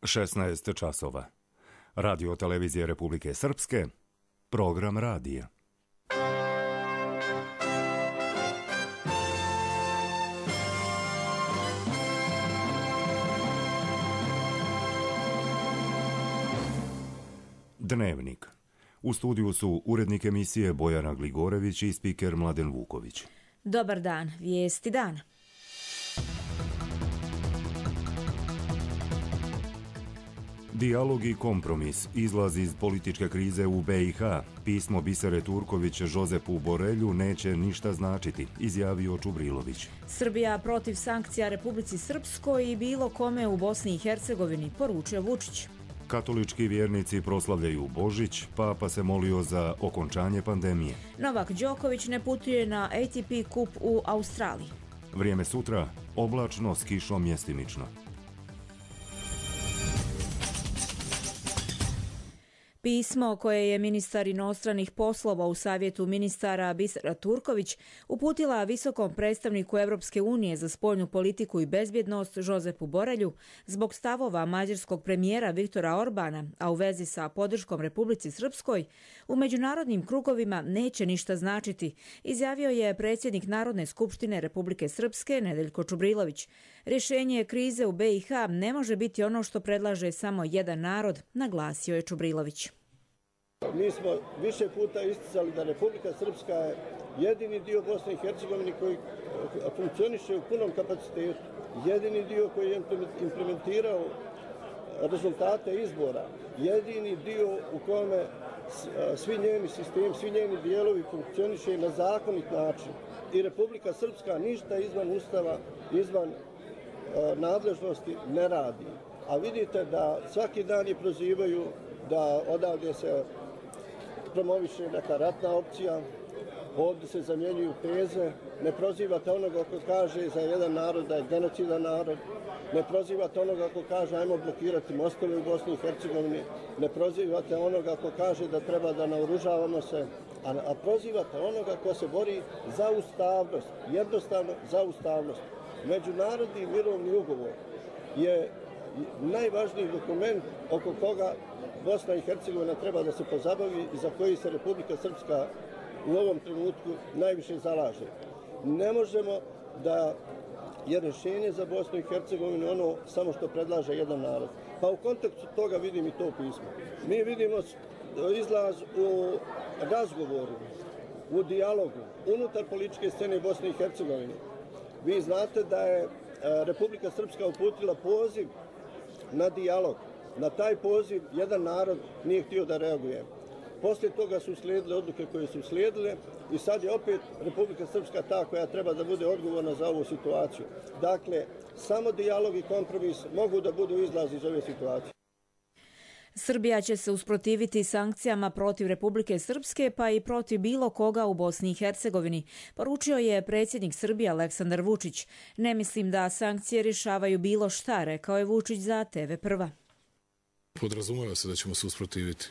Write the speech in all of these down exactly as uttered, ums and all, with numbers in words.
šesnaest časova. Radio televizije Republike Srpske, program radija. Dnevnik. U studiju su urednik emisije Bojana Gligorević i spiker Mladen Vuković. Dobar dan, vijesti dana. Dijalog i kompromis, izlaz iz političke krize u B i H, pismo Bisere Turković Jozepu Borelju neće ništa značiti, izjavio Čubrilović. Srbija protiv sankcija Republici Srpskoj i bilo kome u Bosni i Hercegovini, poručio Vučić. Katolički vjernici proslavljaju Božić, Papa se molio za okončanje pandemije. Novak Đoković ne putuje na A T P kup u Australiji. Vrijeme sutra, oblačno s kišom mjestimično. Pismo koje je ministar inostranih poslova u savjetu ministara Bisera Turković uputila visokom predstavniku Europske unije za spoljnu politiku i bezbjednost Jozepu Borelju zbog stavova mađarskog premijera Viktora Orbana, a u vezi sa podrškom Republici Srpskoj, u međunarodnim krugovima neće ništa značiti, izjavio je predsjednik Narodne skupštine Republike Srpske Nedeljko Čubrilović. Rješenje krize u B i H ne može biti ono što predlaže samo jedan narod, naglasio je Čubrilović. Mi smo više puta isticali da Republika Srpska je jedini dio Bosne i Hercegovine koji funkcioniše u punom kapacitetu, jedini dio koji je implementirao rezultate izbora, jedini dio u kome svi njeni sistemi, svi njeni dijelovi funkcioniše na zakonit način. I Republika Srpska ništa izvan Ustava, izvan nadležnosti ne radi. A vidite da svaki dan je prozivaju da odavde se promoviše neka ratna opcija, ovdje se zamjenjuju teze, ne prozivate onoga ko kaže za jedan narod da je genocidan narod, ne prozivate onoga ko kaže ajmo blokirati mostove u Bosni i Hercegovini, ne prozivate onoga ko kaže da treba da naoružavamo se, a, a prozivate onoga ko se bori za ustavnost, jednostavno za ustavnost. Međunarodni mirovni ugovor je najvažniji dokument oko koga Bosna i Hercegovina treba da se pozabavi i za koji se Republika Srpska u ovom trenutku najviše zalaže. Ne možemo da je rješenje za Bosnu i Hercegovinu ono samo što predlaže jedan narod. Pa u kontekstu toga vidim i to pismo. Mi vidimo izlaz u razgovoru, u dijalogu, unutar političke scene Bosne i Hercegovine. Vi znate da je Republika Srpska uputila poziv na dijalog. Na taj poziv jedan narod nije htio da reaguje. Poslije toga su slijedile odluke koje su slijedile i sad je opet Republika Srpska ta koja treba da bude odgovorna za ovu situaciju. Dakle, samo dijalog i kompromis mogu da budu izlaz iz ove situacije. Srbija će se usprotiviti sankcijama protiv Republike Srpske pa i protiv bilo koga u Bosni i Hercegovini, poručio je predsjednik Srbije Aleksandar Vučić. Ne mislim da sankcije rješavaju bilo šta, rekao je Vučić za T V Prva. Podrazumeva se da ćemo se usprotiviti.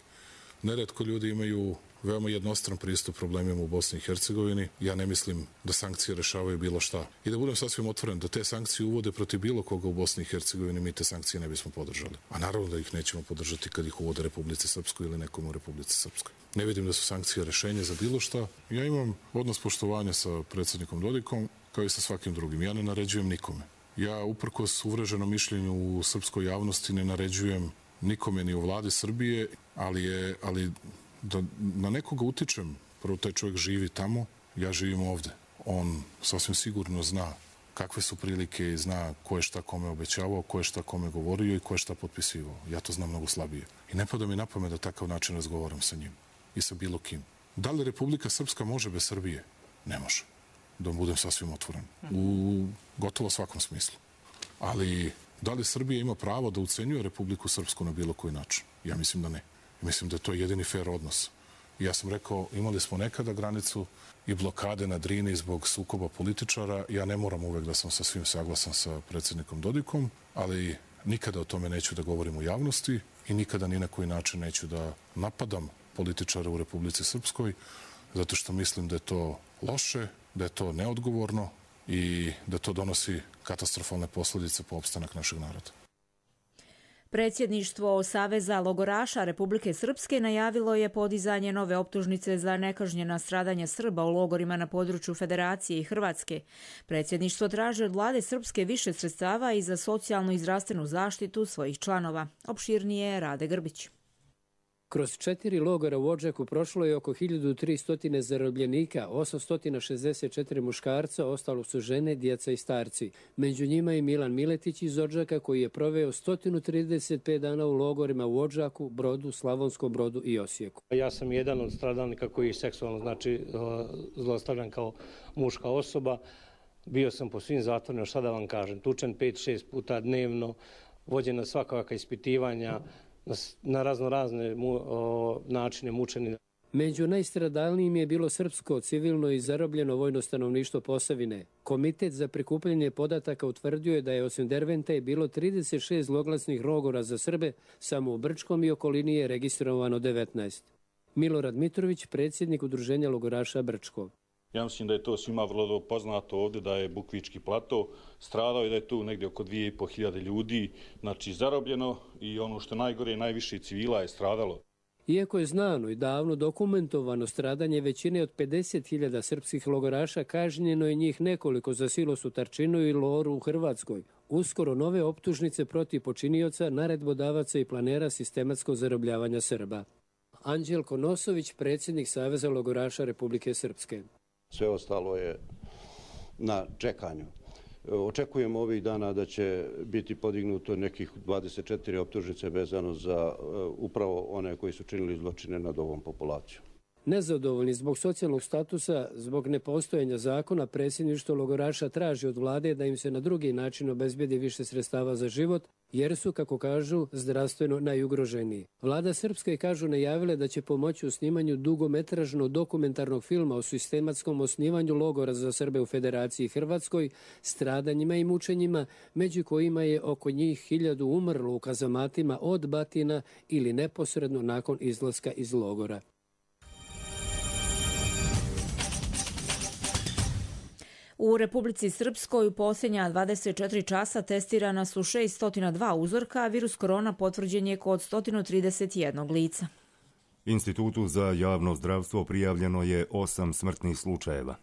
Neretko ljudi imaju veoma jednostran pristup problemima u Bosni i Hercegovini. Ja ne mislim da sankcije rešavaju bilo šta. I da budem sasvim otvoren, da te sankcije uvode protiv bilo koga u Bosni i Hercegovini, mi te sankcije ne bismo podržali. A naravno da ih nećemo podržati kad ih uvode Republici Srpskoj ili nekom u Republici Srpskoj. Ne vidim da su sankcije rešenje za bilo šta. Ja imam odnos poštovanja sa predsjednikom Dodikom kao i sa svakim drugim. Ja ne naređujem nikome. Ja uprkos uvreženom mišljenju u srpskoj javnosti ne naređujem nikome ni u vladi Srbije, ali je, ali da na nekoga utičem, prvo taj čovjek živi tamo, ja živim ovde. On sasvim sigurno zna kakve su prilike i zna ko je šta kome obećavao, ko je šta kome govorio i ko je šta potpisivao. Ja to znam mnogo slabije. I ne pada mi na pamet da takav način razgovaram sa njim i sa bilo kim. Da li Republika Srpska može bez Srbije? Ne može. Da budem sasvim otvoren. U gotovo svakom smislu. Ali da li Srbija ima pravo da ucenjuje Republiku Srpsku na bilo koji način? Ja mislim da ne. Mislim da je to jedini fair odnos. I ja sam rekao, imali smo nekada granicu i blokade na Drini zbog sukoba političara. Ja ne moram uvek da sam sa svim saglasan sa predsjednikom Dodikom, ali nikada o tome neću da govorim u javnosti i nikada ni na koji način neću da napadam političare u Republici Srpskoj, zato što mislim da je to loše, da je to neodgovorno i da to donosi katastrofalne posljedice po opstanak našeg naroda. Predsjedništvo Saveza logoraša Republike Srpske najavilo je podizanje nove optužnice za nekažnjena stradanja Srba u logorima na području Federacije i Hrvatske. Predsjedništvo traži od vlade Srpske više sredstava i za socijalnu i zdravstvenu zaštitu svojih članova. Opširnije Rade Grbić. Kroz četiri logora u Odžaku prošlo je oko hiljadu tristo zarobljenika, osamsto šezdeset četiri muškarca, ostalo su žene, djeca i starci. Među njima je Milan Miletić iz Odžaka koji je proveo sto trideset pet dana u logorima u Odžaku, Brodu, Slavonskom Brodu i Osijeku. Ja sam jedan od stradalnika koji je seksualno znači zlostavljan kao muška osoba. Bio sam po svim zatvorima, šta da vam kažem, tučen pet šest puta dnevno, vođena svakakva ispitivanja, na razno razne mu, o, načine mučeni. Među najstradalnijim je bilo srpsko, civilno i zarobljeno vojno stanovništvo Posavine. Komitet za prikupljanje podataka utvrdio je da je osim Dervente bilo trideset šest zloglasnih logora za Srbe, samo u Brčkom i okolini je registrovano devetnaest. Milorad Mitrović, predsjednik Udruženja logoraša Brčko. Ja mislim da je to svima vrlo poznato ovdje, da je Bukvički plato stradao i da je tu negdje oko dvije i pol hiljade ljudi, znači zarobljeno, i ono što najgore, najviše civila je stradalo. Iako je znano i davno dokumentovano stradanje većine od pedeset hiljada srpskih logoraša, kažnjeno je njih nekoliko za silos u Tarčinu i loru u Hrvatskoj. Uskoro nove optužnice protiv počinioca, naredbodavaca i planera sistematskog zarobljavanja Srba. Anđelko Nosović, predsjednik Saveza logoraša Republike Srpske. Sve ostalo je na čekanju. Očekujemo ovih dana da će biti podignuto nekih dvadeset četiri optužnice vezano za upravo one koji su činili zločine nad ovom populacijom. Nezadovoljni zbog socijalnog statusa, zbog nepostojanja zakona, predsjedništvo logoraša traži od vlade da im se na drugi način obezbedi više sredstava za život, jer su, kako kažu, zdravstveno najugroženiji. Vlada Srpska je, kažu, najavila da će pomoći u snimanju dugometražnog dokumentarnog filma o sistematskom osnivanju logora za Srbe u Federaciji i Hrvatskoj, stradanjima i mučenjima, među kojima je oko njih hiljadu umrlo u kazamatima od batina ili neposredno nakon izlaska iz logora. U Republici Srpskoj u posljednja dvadeset četiri časa testirana su šesto dva uzorka, a virus korona potvrđen je kod sto trideset jedan lica. Institutu za javno zdravstvo prijavljeno je osam smrtnih slučajeva.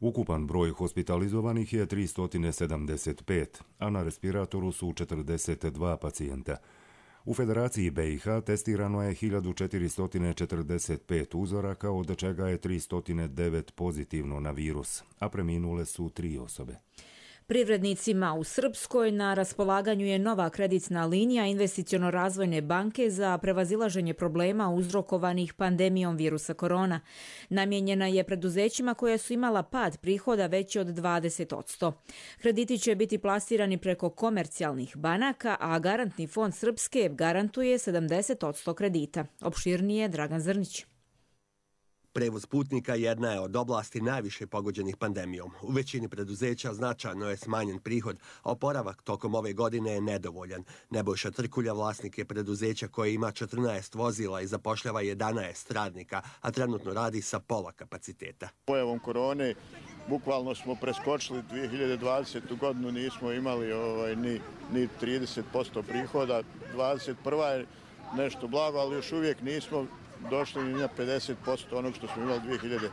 Ukupan broj hospitalizovanih je tristo sedamdeset pet, a na respiratoru su četrdeset dva pacijenta. U Federaciji B i H testirano je hiljadu četiristo četrdeset pet uzoraka, od čega je tristo devet pozitivno na virus, a preminule su tri osobe. Privrednicima u Srpskoj na raspolaganju je nova kreditna linija Investiciono-razvojne banke za prevazilaženje problema uzrokovanih pandemijom virusa korona. Namijenjena je preduzećima koja su imala pad prihoda veći od dvadeset posto. Krediti će biti plasirani preko komercijalnih banaka, a garantni fond Srpske garantuje sedamdeset posto kredita. Opširnije Dragan Zrnić. Prevoz putnika jedna je od oblasti najviše pogođenih pandemijom. U većini preduzeća značajno je smanjen prihod, a oporavak tokom ove godine je nedovoljan. Nebojša Trkulja vlasnik je preduzeća koje ima četrnaest vozila i zapošljava jedanaest radnika, a trenutno radi sa pola kapaciteta. Pojavom korone bukvalno smo preskočili dvije hiljade dvadesete. godinu, nismo imali ovaj, ni, ni trideset posto prihoda. dvadeset prva je nešto blago, ali još uvijek nismo došli na pedeset posto onog što smo imali dvije hiljade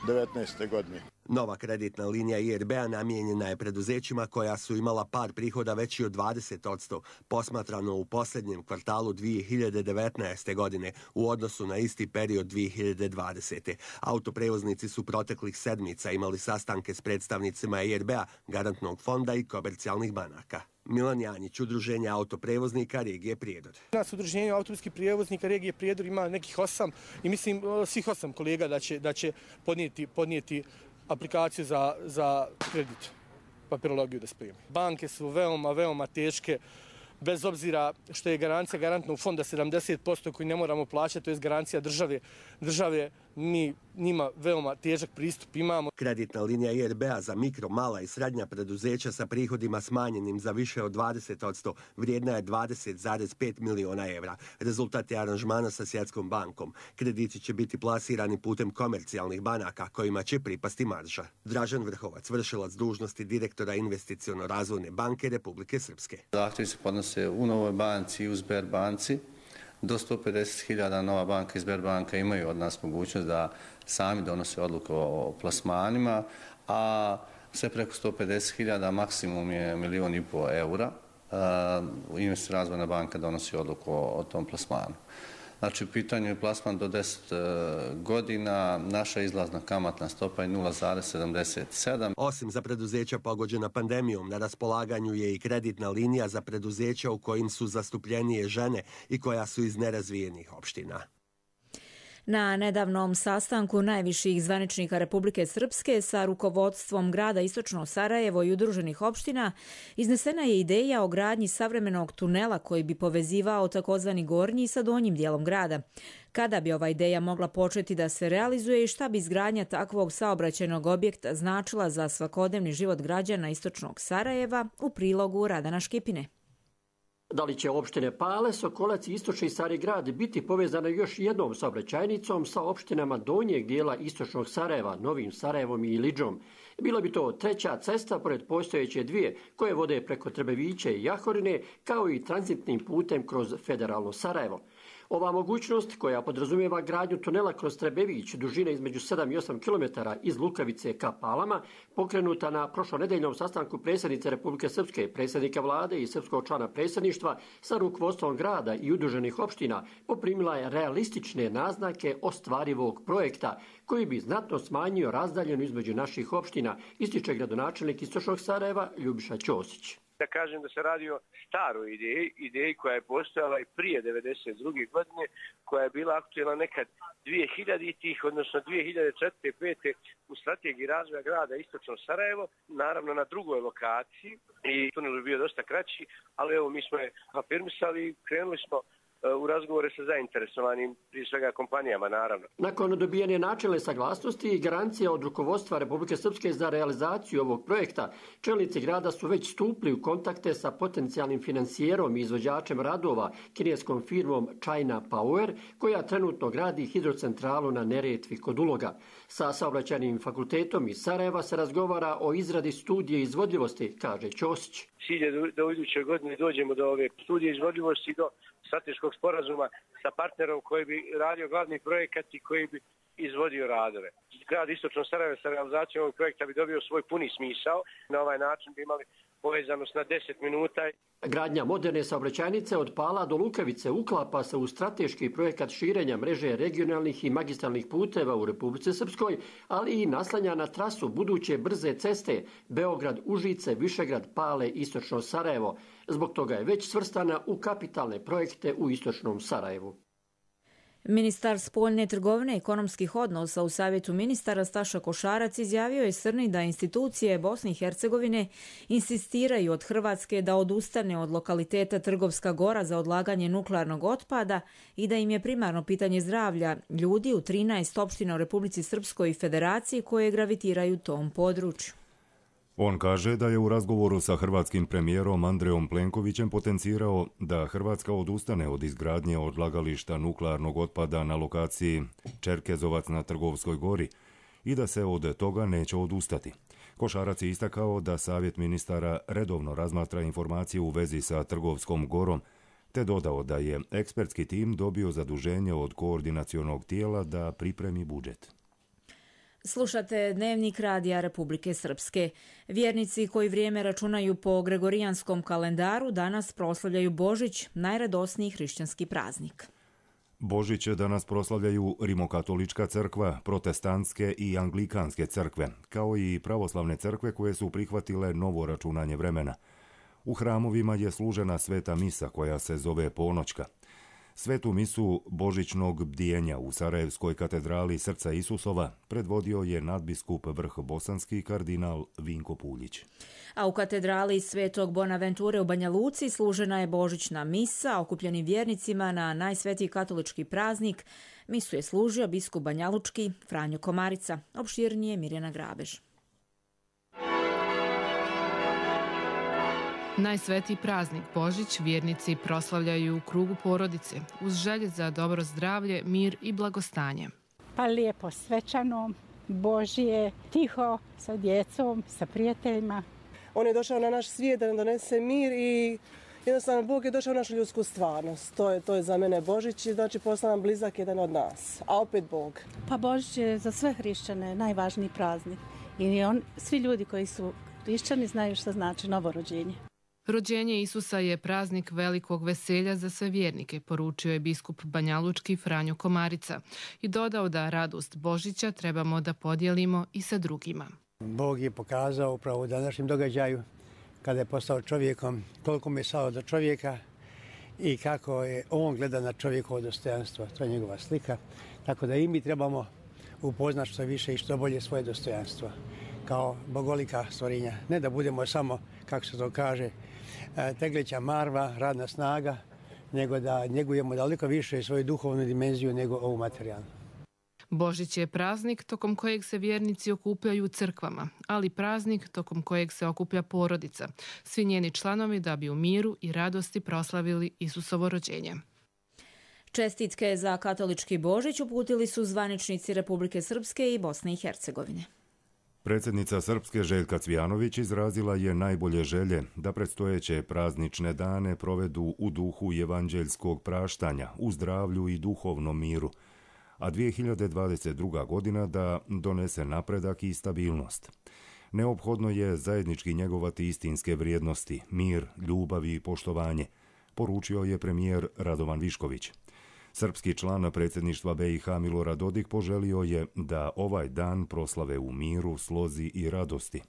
devetnaeste. godine. Nova kreditna linija I R B-a namijenjena je preduzećima koja su imala pad prihoda veći od dvadeset posto, posmatrano u posljednjem kvartalu dvije hiljade devetnaeste. godine u odnosu na isti period dvije hiljade dvadesete. Autoprevoznici su proteklih sedmica imali sastanke s predstavnicima I R B-a, garantnog fonda i komercijalnih banaka. Milan Janjić, Udruženje autoprevoznika regije Prijedor. Nas udruženje autobuskih prijevoznika regije Prijedor ima nekih osam i mislim svih osam kolega da će, da će podnijeti, podnijeti aplikaciju za, za kredit, papirologiju da spremi. Banke su veoma, veoma teške, bez obzira što je garancija garantnog fonda sedamdeset posto koji ne moramo plaćati, to je garancija države, države mi njima veoma težak pristup imamo. Kreditna linija I R B-a za mikro, mala i srednja preduzeća sa prihodima smanjenim za više od dvadeset posto vrijedna je dvadeset zarez pet miliona evra. Rezultat je aranžmana sa Svjetskom bankom. Krediti će biti plasirani putem komercijalnih banaka kojima će pripasti marža. Dražen Vrhovac, vršilac dužnosti direktora Investiciono-razvojne banke Republike Srpske. Zahtjevi se podnose u Novoj banci i u Sberbanci. Do sto pedeset hiljada Nova banka i Sberbanka imaju od nas mogućnost da sami donose odluku o plasmanima, a sve preko sto pedeset hiljada maksimum je milijon i pol eura. Investiciono razvojna banka donosi odluku o tom plasmanu. Znači, u pitanju je plasman do deset godina, naša izlazna kamatna stopa je nula zarez sedamdeset sedam. Osim za preduzeća pogođena pandemijom, na raspolaganju je i kreditna linija za preduzeća u kojim su zastupljenije žene i koja su iz nerazvijenih opština. Na nedavnom sastanku najviših zvaničnika Republike Srpske sa rukovodstvom grada Istočno Sarajevo i udruženih opština iznesena je ideja o gradnji savremenog tunela koji bi povezivao takozvani gornji sa donjim dijelom grada. Kada bi ova ideja mogla početi da se realizuje i šta bi izgradnja takvog saobraćajnog objekta značila za svakodnevni život građana Istočnog Sarajeva, u prilogu Radana Škipine. Da li će opštine Pale, Sokolac i Istočni Stari-grad biti povezane još jednom saobraćajnicom sa opštinama donjeg dijela Istočnog Sarajeva, Novim Sarajevom i Ilidžom? Bila bi to treća cesta pored postojeće dvije koje vode preko Trbeviće i Jahorine, kao i tranzitnim putem kroz federalno Sarajevo. Ova mogućnost, koja podrazumijeva gradnju tunela kroz Trebević dužine između sedam i osam kilometara iz Lukavice ka Palama, pokrenuta na prošlonedeljnom sastanku predsjednice Republike Srpske, predsjednika vlade i srpskog člana predsjedništva sa rukovodstvom grada i udruženih opština, poprimila je realistične naznake ostvarivog projekta koji bi znatno smanjio razdaljenu između naših opština, ističe gradonačelnik Istočnog Sarajeva Ljubiša Ćosić. Da kažem da se radi o staroj ideji, ideji koja je postojala i prije devedeset druge godine, koja je bila aktuelna nekad dvije hiljaditih, odnosno dvije hiljade četvrte i pete u strategiji razvoja grada Istočno Sarajevo, naravno na drugoj lokaciji i tunel je bio dosta kraći, ali evo mi smo je afirmisali i krenuli smo u razgovore sa zainteresovanim, prije svega kompanijama, naravno. Nakon dobijene načelne saglasnosti i garancija od rukovodstva Republike Srpske za realizaciju ovog projekta, čelnici grada su već stupili u kontakte sa potencijalnim financijerom i izvođačem radova, kineskom firmom China Power, koja trenutno gradi hidrocentralu na Neretvi kod Uloga. Sa saobraćajnim fakultetom iz Sarajeva se razgovara o izradi studije izvodljivosti, kaže Ćosić. Cilj je da u idućoj godini dođemo do ove studije izvodljivosti, do strateškog sporazuma sa partnerom koji bi radio glavni projekat i koji bi izvodio radove. Grad Istočno Sarajevo sa realizacijom ovog projekta bi dobio svoj puni smisao. Na ovaj način bi imali povezanost na deset minuta. Gradnja moderne saobraćajnice od Pala do Lukavice uklapa se u strateški projekat širenja mreže regionalnih i magistralnih puteva u Republici Srpskoj, ali i naslanja na trasu buduće brze ceste Beograd-Užice, Višegrad, Pale, Istočno Sarajevo. Zbog toga je već svrstana u kapitalne projekte u Istočnom Sarajevu. Ministar spoljne trgovine i ekonomskih odnosa u Savjetu ministara Staša Košarac izjavio je Srni da institucije Bosne i Hercegovine insistiraju od Hrvatske da odustane od lokaliteta Trgovska Gora za odlaganje nuklearnog otpada i da im je primarno pitanje zdravlja ljudi u trinaest opština u Republici Srpskoj i Federaciji koje gravitiraju tom području. On kaže da je u razgovoru sa hrvatskim premijerom Andrejom Plenkovićem potencirao da Hrvatska odustane od izgradnje odlagališta nuklearnog otpada na lokaciji Čerkezovac na Trgovskoj gori i da se od toga neće odustati. Košarac je istakao da Savjet ministara redovno razmatra informacije u vezi sa Trgovskom gorom, te dodao da je ekspertski tim dobio zaduženje od koordinacionog tijela da pripremi budžet. Slušate Dnevnik Radija Republike Srpske. Vjernici koji vrijeme računaju po gregorijanskom kalendaru danas proslavljaju Božić, najradosniji hrišćanski praznik. Božić danas proslavljaju Rimokatolička crkva, protestantske i anglikanske crkve, kao i pravoslavne crkve koje su prihvatile novo računanje vremena. U hramovima je služena sveta misa koja se zove ponoćka. Svetu misu božićnog bdijenja u Sarajevskoj katedrali Srca Isusova predvodio je nadbiskup Vrh bosanski kardinal Vinko Puljić. A u katedrali Svetog Bonaventure u Banja Luci služena je božićna misa okupljenim vjernicima na najsvetiji katolički praznik. Misu je služio biskup banjalučki Franjo Komarica. Opširnije Mirjana Grabež. Najsvetiji praznik Božić vjernici proslavljaju u krugu porodice uz želje za dobro zdravlje, mir i blagostanje. Pa lijepo, svečano, Božje, tiho, sa djecom, sa prijateljima. On je došao na naš svijet da nam donese mir i jednostavno Bog je došao u našu ljudsku stvarnost. To je, to je za mene Božić i znači postao nam blizak jedan od nas, a opet Bog. Pa Božić je za sve hrišćane najvažniji praznik i on, svi ljudi koji su hrišćani znaju što znači novorođenje. Rođenje Isusa je praznik velikog veselja za sve vjernike, poručio je biskup banjalučki Franjo Komarica i dodao da radost Božića trebamo da podijelimo i sa drugima. Bog je pokazao upravo u današnjem događaju kada je postao čovjekom koliko mu je stalo do čovjeka i kako je on gleda na čovjekovo dostojanstvo. To je njegova slika. Tako da i mi trebamo upoznati što više i što bolje svoje dostojanstvo kao bogolika stvorenja. Ne da budemo samo, kako se to kaže, tegleća marva, radna snaga, nego da njegujemo daleko više svoju duhovnu dimenziju nego ovu materijalnu. Božić je praznik tokom kojeg se vjernici okupljaju u crkvama, ali praznik tokom kojeg se okuplja porodica, svi njeni članovi da bi u miru i radosti proslavili Isusovo rođenje. Čestitke za katolički Božić uputili su zvaničnici Republike Srpske i Bosne i Hercegovine. Predsjednica Srpske Željka Cvijanović izrazila je najbolje želje da predstojeće praznične dane provedu u duhu evanđeljskog praštanja, u zdravlju i duhovnom miru, a dvije hiljade dvadeset druga. godina da donese napredak i stabilnost. Neophodno je zajednički njegovati istinske vrijednosti, mir, ljubav i poštovanje, poručio je premijer Radovan Višković. Srpski član predsjedništva B i H Milorad Dodik poželio je da ovaj dan proslave u miru, slozi i radosti.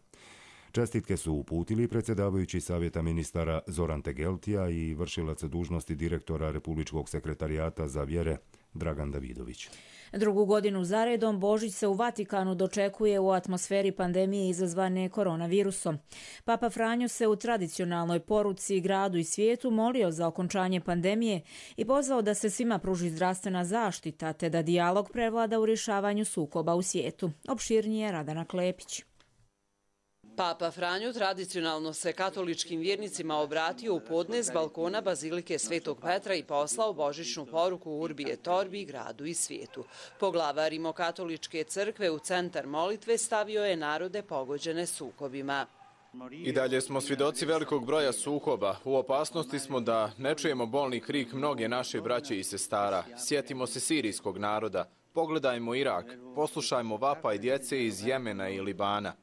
Čestitke su uputili predsjedavajući Savjeta ministara Zoran Tegeltija i vršilac dužnosti direktora Republičkog sekretarijata za vjere Dragan Davidović. Drugu godinu zaredom Božić se u Vatikanu dočekuje u atmosferi pandemije izazvane koronavirusom. Papa Franjo se u tradicionalnoj poruci gradu i svijetu molio za okončanje pandemije i pozvao da se svima pruži zdravstvena zaštita te da dijalog prevlada u rješavanju sukoba u svijetu. Opširnije Radana Klepić. Papa Franjo tradicionalno se katoličkim vjernicima obratio u podne s balkona Bazilike Svetog Petra i poslao božićnu poruku Urbi et Orbi gradu i svijetu. Poglavar Rimokatoličke crkve u centar molitve stavio je narode pogođene sukobima. I dalje smo svjedoci velikog broja sukoba. U opasnosti smo da ne čujemo bolni krik mnoge naše braće i sestara. Sjetimo se sirijskog naroda. Pogledajmo Irak. Poslušajmo vapaj djece iz Jemena i Libana.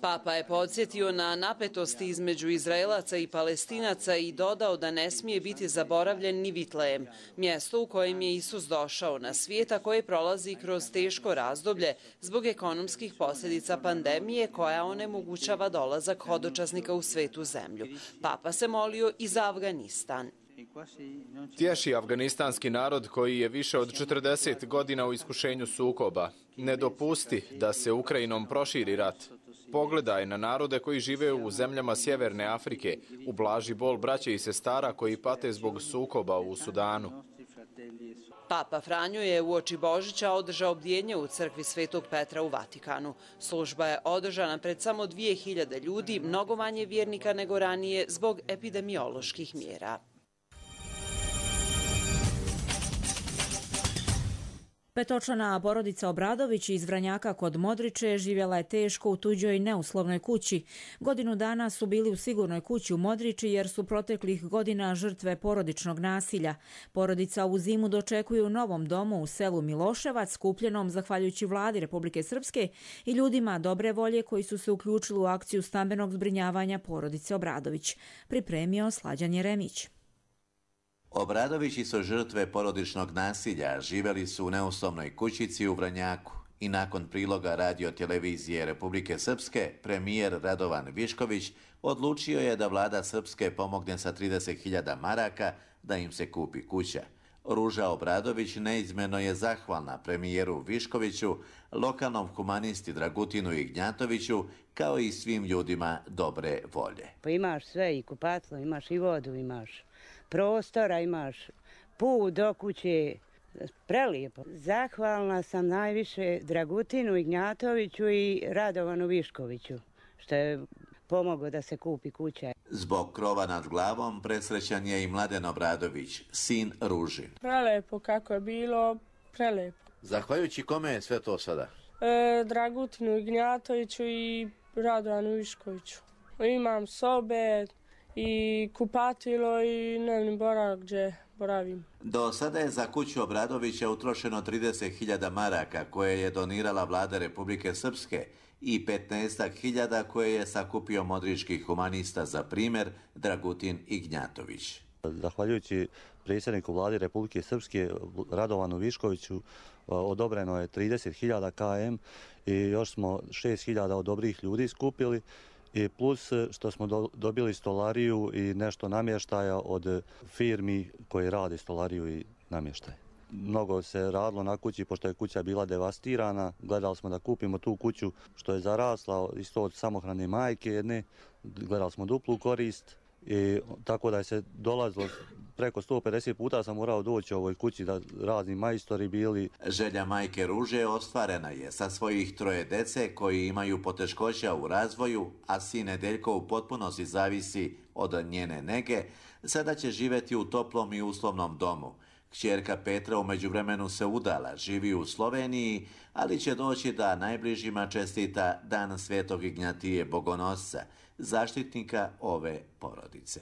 Papa je podsjetio na napetosti između Izraelaca i Palestinaca i dodao da ne smije biti zaboravljen ni Vitlejem, mjesto u kojem je Isus došao na svijet, a koje prolazi kroz teško razdoblje zbog ekonomskih posljedica pandemije koja onemogućava dolazak hodočasnika u svetu zemlju. Papa se molio i za Afganistan. Tješi afganistanski narod koji je više od četrdeset godina u iskušenju sukoba. Ne dopusti da se Ukrajinom proširi rat. Pogledaj na narode koji žive u zemljama Sjeverne Afrike, ublaži bol braće i sestara koji pate zbog sukoba u Sudanu. Papa Franjo je uoči Božića održao bdjenje u crkvi Svetog Petra u Vatikanu. Služba je održana pred samo dvije hiljade ljudi, mnogo manje vjernika nego ranije zbog epidemioloških mjera. Petočlana porodica Obradović iz Vranjaka kod Modriče živjela je teško u tuđoj neuslovnoj kući. Godinu dana su bili u sigurnoj kući u Modriči jer su proteklih godina žrtve porodičnog nasilja. Porodica u zimu dočekuje u novom domu u selu Miloševac, kupljenom zahvaljujući vladi Republike Srpske i ljudima dobre volje koji su se uključili u akciju stambenog zbrinjavanja porodice Obradović. Pripremio Slađan Jeremić. Obradovići su žrtve porodičnog nasilja, živjeli su u neuslovnoj kućici u Vranjaku i nakon priloga radio televizije Republike Srpske, premijer Radovan Višković odlučio je da vlada Srpske pomogne sa trideset hiljada maraka da im se kupi kuća. Ruža Obradović neizmjerno je zahvalna premijeru Viškoviću, lokalnom humanisti Dragutinu Ignjatoviću, kao i svim ljudima dobre volje. Pa imaš sve, i kupatlo, imaš i vodu, imaš prostora, imaš put do kuće, prelijepo. Zahvalna sam najviše Dragutinu Ignjatoviću i Radovanu Viškoviću, što je pomogao da se kupi kuća. Zbog krova nad glavom presrećan je i Mladen Obradović, sin Ružin. Prelepo kako je bilo, prelepo. Zahvaljujući kome je sve to sada? E, Dragutinu Ignjatoviću i Radovanu Viškoviću. Imam sobe i kupatilo i dnevni boravak gdje boravim. Do sada je za kuću Obradovića utrošeno trideset hiljada maraka koje je donirala vlada Republike Srpske i petnaest hiljada koje je sakupio modrički humanista, za primjer Dragutin Ignjatović. Zahvaljujući predsjedniku vlade Republike Srpske Radovanu Viškoviću odobreno je trideset hiljada kilometara i još smo šest hiljada od dobrih ljudi skupili, i plus što smo do, dobili stolariju i nešto namještaja od firmi koji rade stolariju i namještaj. Mnogo se radilo na kući, pošto je kuća bila devastirana. Gledali smo da kupimo tu kuću što je zarasla, isto od samohrane majke jedne. Gledali smo duplu korist i tako da je se dolazilo preko sto pedeset puta sam morao doći u ovoj kući da razni majstori bili. Želja majke Ruže ostvarena je sa svojih troje dece koji imaju poteškoća u razvoju, a sin Nedeljko u potpunosti zavisi od njene nege. Sada će živjeti u toplom i uslovnom domu. Kćerka Petra u međuvremenu se udala, živi u Sloveniji, ali će doći da najbližima čestita Dan Svetog Ignjatije Bogonosca, zaštitnika ove porodice.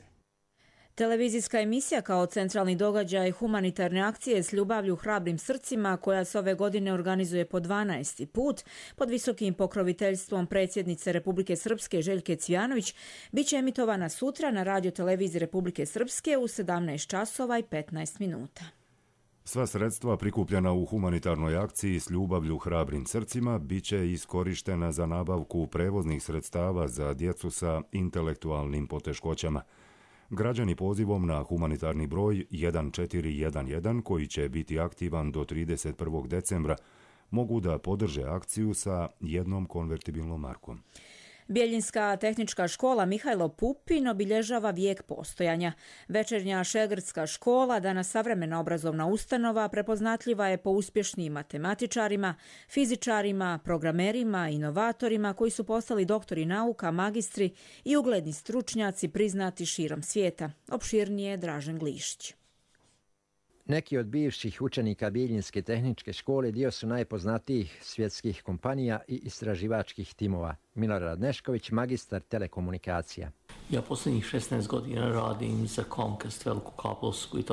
Televizijska emisija kao centralni događaj humanitarne akcije s ljubavlju hrabrim srcima, koja se ove godine organizuje po dvanaesti put pod visokim pokroviteljstvom predsjednice Republike Srpske Željke Cvijanović, bit će emitovana sutra na radio televiziji Republike Srpske u sedamnaest časova i petnaest minuta. Sva sredstva prikupljena u humanitarnoj akciji s ljubavlju hrabrim srcima bit će iskorištena za nabavku prevoznih sredstava za djecu sa intelektualnim poteškoćama. Građani pozivom na humanitarni broj jedan četiri jedan jedan, koji će biti aktivan do trideset prvog decembra, mogu da podrže akciju sa jednom konvertibilnom markom. Bjeljinska tehnička škola Mihajlo Pupin obilježava vijek postojanja. Večernja Šegrdska škola, danas savremena obrazovna ustanova, prepoznatljiva je po uspješnim matematičarima, fizičarima, programerima, inovatorima koji su postali doktori nauka, magistri i ugledni stručnjaci priznati širom svijeta. Opširnije Dražen Glišić. Neki od bivših učenika Bjeljinske tehničke škole dio su najpoznatijih svjetskih kompanija i istraživačkih timova. Milorad Nešković, magistar telekomunikacija. Ja posljednjih šesnaest godina radim za Comcast, veliku kablovsku i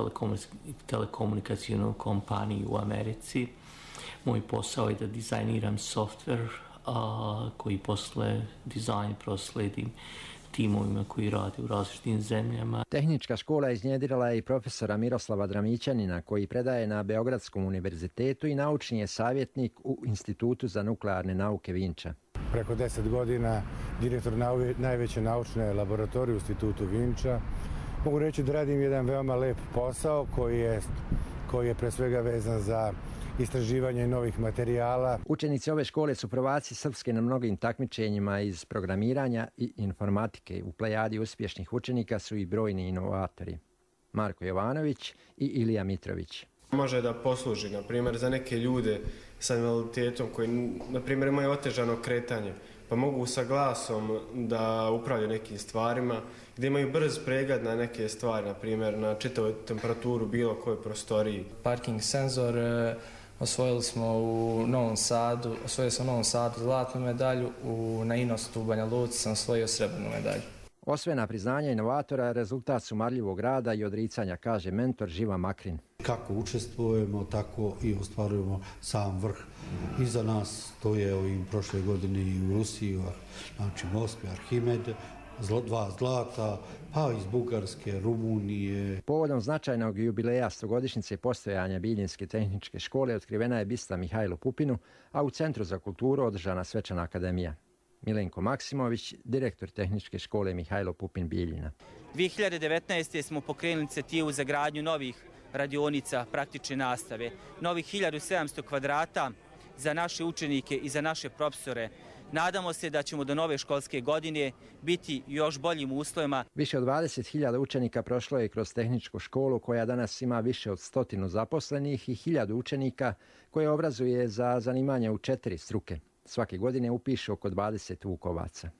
telekomunikacijnu kompaniju u Americi. Moj posao je da dizajniram softver a, koji posle dizajn prosledim timovima koji rade u različitim zemljama. Tehnička škola iznjedrila je i profesora Miroslava Dramićanina, koji predaje na Beogradskom univerzitetu i naučni je savjetnik u Institutu za nuklearne nauke Vinča. Preko deset godina direktor najveće naučne laboratorije u Institutu Vinča. Mogu reći da radim jedan veoma lep posao koji je, koji je pre svega vezan za istraživanje novih materijala. Učenici ove škole su prvaci Srpske na mnogim takmičenjima iz programiranja i informatike. U plejadi uspješnih učenika su i brojni inovatori. Marko Jovanović i Ilija Mitrović. Može da posluži, na primjer, za neke ljude sa invaliditetom koji, na primjer, imaju otežano kretanje, pa mogu sa glasom da upravljaju nekim stvarima, gdje imaju brz pregled na neke stvari, na primjer, na čitavu temperaturu bilo kojoj prostoriji. Parking senzor osvojili smo u Novom Sadu, osvojili smo u Novom Sadu zlatnu medalju, u, na Inostu u Banja Luci sam osvojio srebrnu medalju. Osvojena priznanja inovatora rezultat su marljivog rada i odricanja, kaže mentor Živa Makrin. Kako učestvujemo, tako i ostvarujemo sam vrh. Iza nas to je ovim prošle godine i u Rusiji, znači Moskvi, Arhimed, zlo, dva zlata, pa iz Bugarske, Rumunije. Povodom značajnog jubileja stogodišnjice postojanja Bjeljinske tehničke škole otkrivena je bista Mihajlu Pupinu, a u Centru za kulturu održana svečana akademija. Milenko Maksimović, direktor tehničke škole Mihajlo Pupin Bjeljina. dvije hiljade devetnaeste. smo pokrenuli inicijativu za gradnju novih radionica praktične nastave, novih hiljadu sedamsto kvadrata za naše učenike i za naše profesore. Nadamo se da ćemo do nove školske godine biti još boljim uslovima. Više od dvadeset hiljada učenika prošlo je kroz tehničku školu koja danas ima više od stotinu zaposlenih i hiljadu učenika koje obrazuje za zanimanje u četiri struke. Svake godine upiše oko dvadeset vukovaca.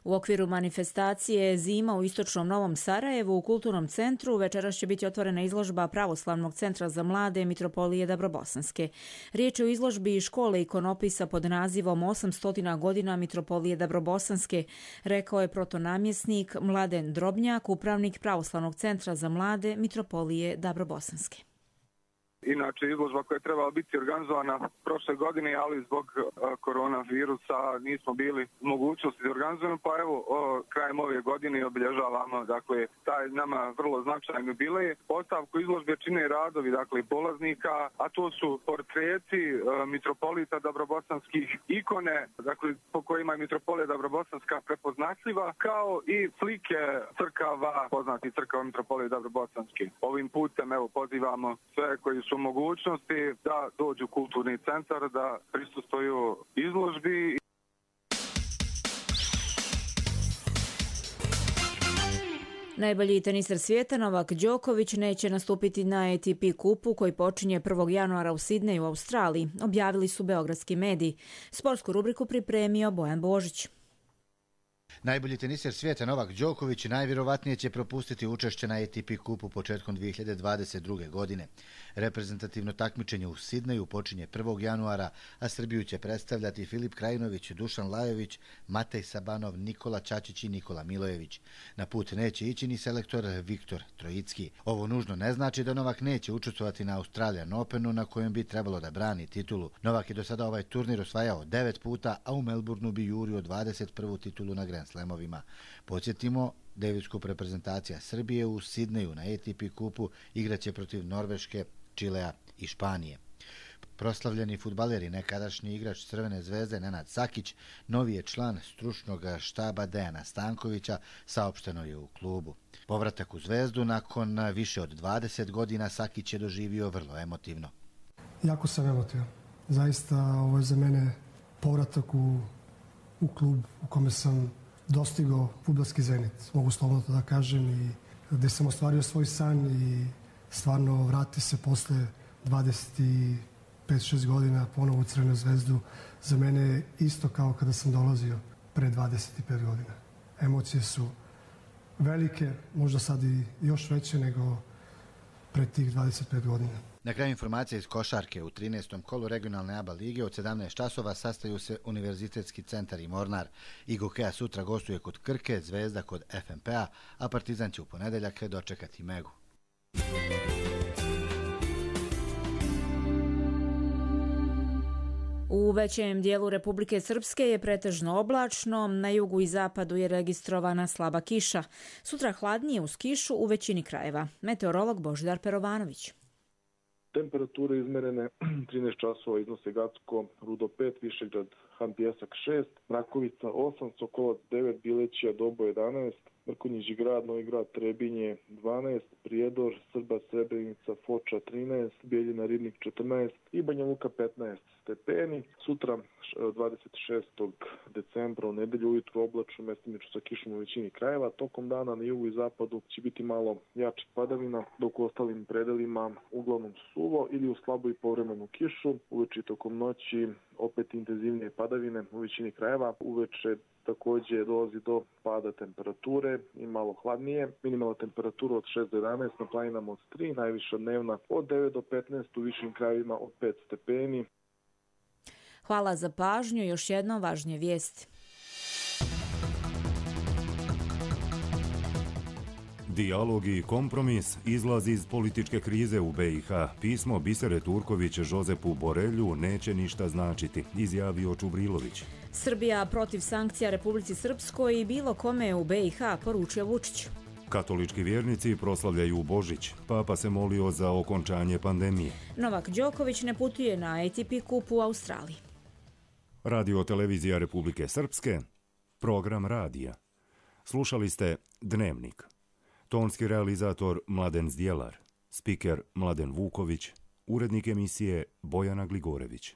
U okviru manifestacije Zima u istočnom Novom Sarajevu u Kulturnom centru večeras će biti otvorena izložba Pravoslavnog centra za mlade Mitropolije Dabrobosanske. Riječ je o izložbi škole ikonopisa pod nazivom osamsto godina Mitropolije Dabrobosanske, rekao je protonamjesnik Mladen Drobnjak, upravnik Pravoslavnog centra za mlade Mitropolije Dabrobosanske. Inače, izložba koja je trebala biti organizovana prošle godine, ali zbog uh, koronavirusa nismo bili u mogućnosti da organizujemo, pa evo, o, krajem ove godine obilježavamo, dakle, taj nama vrlo značajan jubilej. Postavku izložbe čine radovi, dakle, polaznika, a to su portreti uh, mitropolita dabrobosanskih, ikone, dakle, po kojima je Mitropolija Dabrobosanska prepoznatljiva, kao i slike crkava, poznati crkava Mitropolije Dabrobosanske. Ovim putem, evo, pozivamo sve koji su mogućnosti da dođu u kulturni centar, da prisustvuju izložbi. Najbolji teniser svijeta Novak Đoković neće nastupiti na A T P kupu koji počinje prvog januara u Sidneju u Australiji, objavili su beogradski mediji. Sportsku rubriku pripremio Bojan Božić. Najbolji teniser svijeta Novak Đoković najvjerovatnije će propustiti učešće na A T P kupu početkom dvije hiljade dvadeset druge. godine. Reprezentativno takmičenje u Sidneju počinje prvog januara, a Srbiju će predstavljati Filip Krajinović, Dušan Lajović, Matej Sabanov, Nikola Čačić i Nikola Milojević. Na put neće ići ni selektor Viktor Trojicki. Ovo nužno ne znači da Novak neće učestvovati na Australian Openu na kojem bi trebalo da brani titulu. Novak je do sada ovaj turnir osvajao devet puta, a u Melbourneu bi jurio dvadeset prvu titulu na Grand Slamovima. Podsjetimo, Davis Cup reprezentacija Srbije u Sidneju na A T P kupu igraće protiv Norveške, Čilea i Španije. Proslavljeni fudbaler i nekadašnji igrač Crvene zvezde Nenad Sakić novi je član stručnog štaba Dejana Stankovića, saopšteno je u klubu. Povratak u Zvezdu nakon više od dvadeset godina Sakić je doživio vrlo emotivno. Jako sam emotivan. Zaista ovo je za mene povratak u, u klub u kome sam dostigao fudbalski zenit, mogu slobodno to da kažem, i gde sam ostvario svoj san i stvarno vrati se posle dvadeset pet šest godina ponovo u Crvenu zvezdu. Za mene isto kao kada sam dolazio pre dvadeset pet godina. Emocije su velike, možda sad i još veće nego pre tih dvadeset pet godina. Na kraju informacije iz košarke. U trinaestom kolu regionalne A B A lige od sedamnaest časova sastaju se Univerzitetski centar i Mornar. I Gokeja sutra gostuje kod Krke, Zvezda kod F M P-a, a Partizan će u ponedeljak dočekati Megu. U većem dijelu Republike Srpske je pretežno oblačno, na jugu i zapadu je registrovana slaba kiša. Sutra hladnije uz kišu u većini krajeva. Meteorolog Božidar Perovanović. Temperature izmerene trinaest časova iznose Gacko, Rudo pet, Višegrad, Han Pjesak šest, Mrakovica osam, Sokolac devet, Bilećija, Dobo jedanaest, Mrkonjići grad, Novi grad, Trebinje dvanaest, Prijedor, Srba, Srebrenica, Foča trinaest, Bijeljina, Ribnik četrnaest i Banja Luka petnaest stepeni. Sutra dvadeset šestog decembra u nedelju ujutru oblačno, mestimično sa kišom u većini krajeva. Tokom dana na jugu i zapadu će biti malo jačih padavina, dok u ostalim predelima uglavnom suvo ili u slabu i povremenu kišu. Uveče tokom noći opet intenzivnije padavine u većini krajeva. Uveče također dolazi do pada temperature i malo hladnije. Minimalna temperatura od šest do jedanaest, na planinama od tri, najviša dnevna od devet do petnaest, u višim krajevima od pet stepeni. Hvala za pažnju. Još jednom važnije vijesti. Dijalog i kompromis izlazi iz političke krize u B i H. Pismo Bisere Turković Žozepu Borelju neće ništa značiti, izjavio Čubrilović. Srbija protiv sankcija Republici Srpskoj i bilo kome u B i H, poručio Vučić. Katolički vjernici proslavljaju Božić. Papa se molio za okončanje pandemije. Novak Đoković ne putuje na A T P kup u Australiji. Radio televizija Republike Srpske, program radija. Slušali ste Dnevnik. Tonski realizator Mladen Zdjelar. Spiker Mladen Vuković, urednik emisije Bojana Gligorević.